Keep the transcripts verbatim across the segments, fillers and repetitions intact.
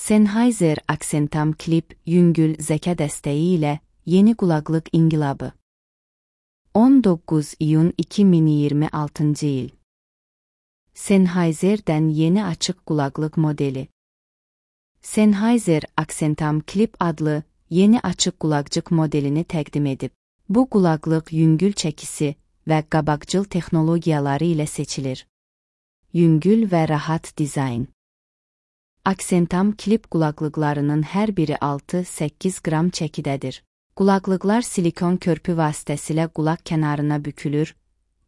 Sennheiser Accentam Clip yüngül zeka dəstəyi ilə yeni qulaqlıq inqilabı. on doqquz iyun iki min iyirmi altıncı il. Sennheiser'dən yeni açıq qulaqlıq modeli. Sennheiser Accentam Clip adlı yeni açıq qulaqcıq modelini təqdim edib. Bu qulaqlıq yüngül çəkisi və qabaqcıl texnologiyaları ilə seçilir. Yüngül və rahat dizayn. Accentam Clip qulaqlıqlarının hər biri altı səkkiz qram çəkidədir. Qulaqlıqlar silikon körpü vasitəsilə qulaq kənarına bükülür,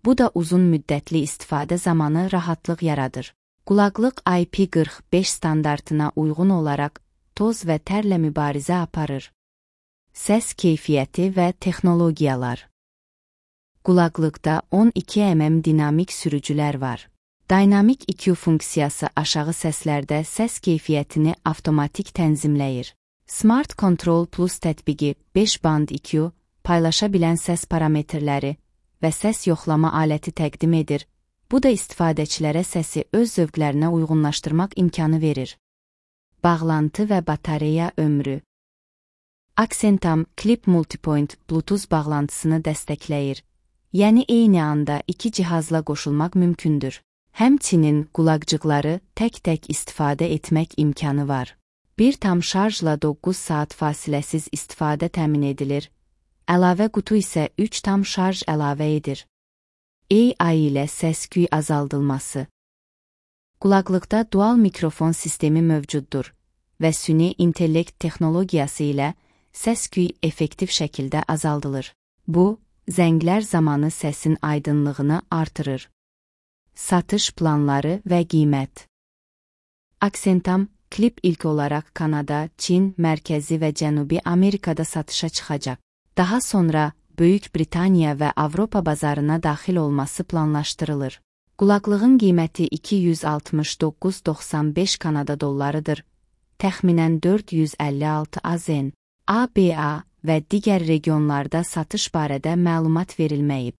bu da uzun müddətli istifadə zamanı rahatlıq yaradır. Qulaqlıq I P qırx beş standartına uyğun olaraq toz və tərlə mübarizə aparır. Səs keyfiyyəti və texnologiyalar. Qulaqlıqda on iki millimetr dinamik sürücülər var. Dynamic E Q funksiyası aşağı səslərdə səs keyfiyyətini avtomatik tənzimləyir. Smart Control Plus tətbiqi beş band E Q, paylaşa bilən səs parametrləri və səs yoxlama aləti təqdim edir. Bu da istifadəçilərə səsi öz zövqlərinə uyğunlaşdırmaq imkanı verir. Bağlantı və batareya ömrü. Accentam Clip Multipoint Bluetooth bağlantısını dəstəkləyir. Yəni eyni anda iki cihazla qoşulmaq mümkündür. Həmçinin qulaqcıqları tək-tək istifadə etmək imkanı var. Bir tam şarjla doqquz saat fasiləsiz istifadə təmin edilir. Əlavə qutu isə üç tam şarj əlavə edir. A I ilə səs-küy azaldılması. Qulaqlıqda dual mikrofon sistemi mövcuddur və süni intellekt texnologiyası ilə səs-küy effektiv şəkildə azaldılır. Bu, zənglər zamanı səsin aydınlığını artırır. Satış planları və qiymət. Accentam Clip ilk olaraq Kanada, Çin, Mərkəzi və Cənubi Amerikada satışa çıxacaq. Daha sonra Böyük Britaniya və Avropa bazarına daxil olması planlaşdırılır. Qulaqlığın qiyməti iki yüz altmış doqquz min doxsan beş Kanada dollarıdır. Təxminən dörd yüz əlli altı A Z N, A B A və digər regionlarda satış barədə məlumat verilməyib.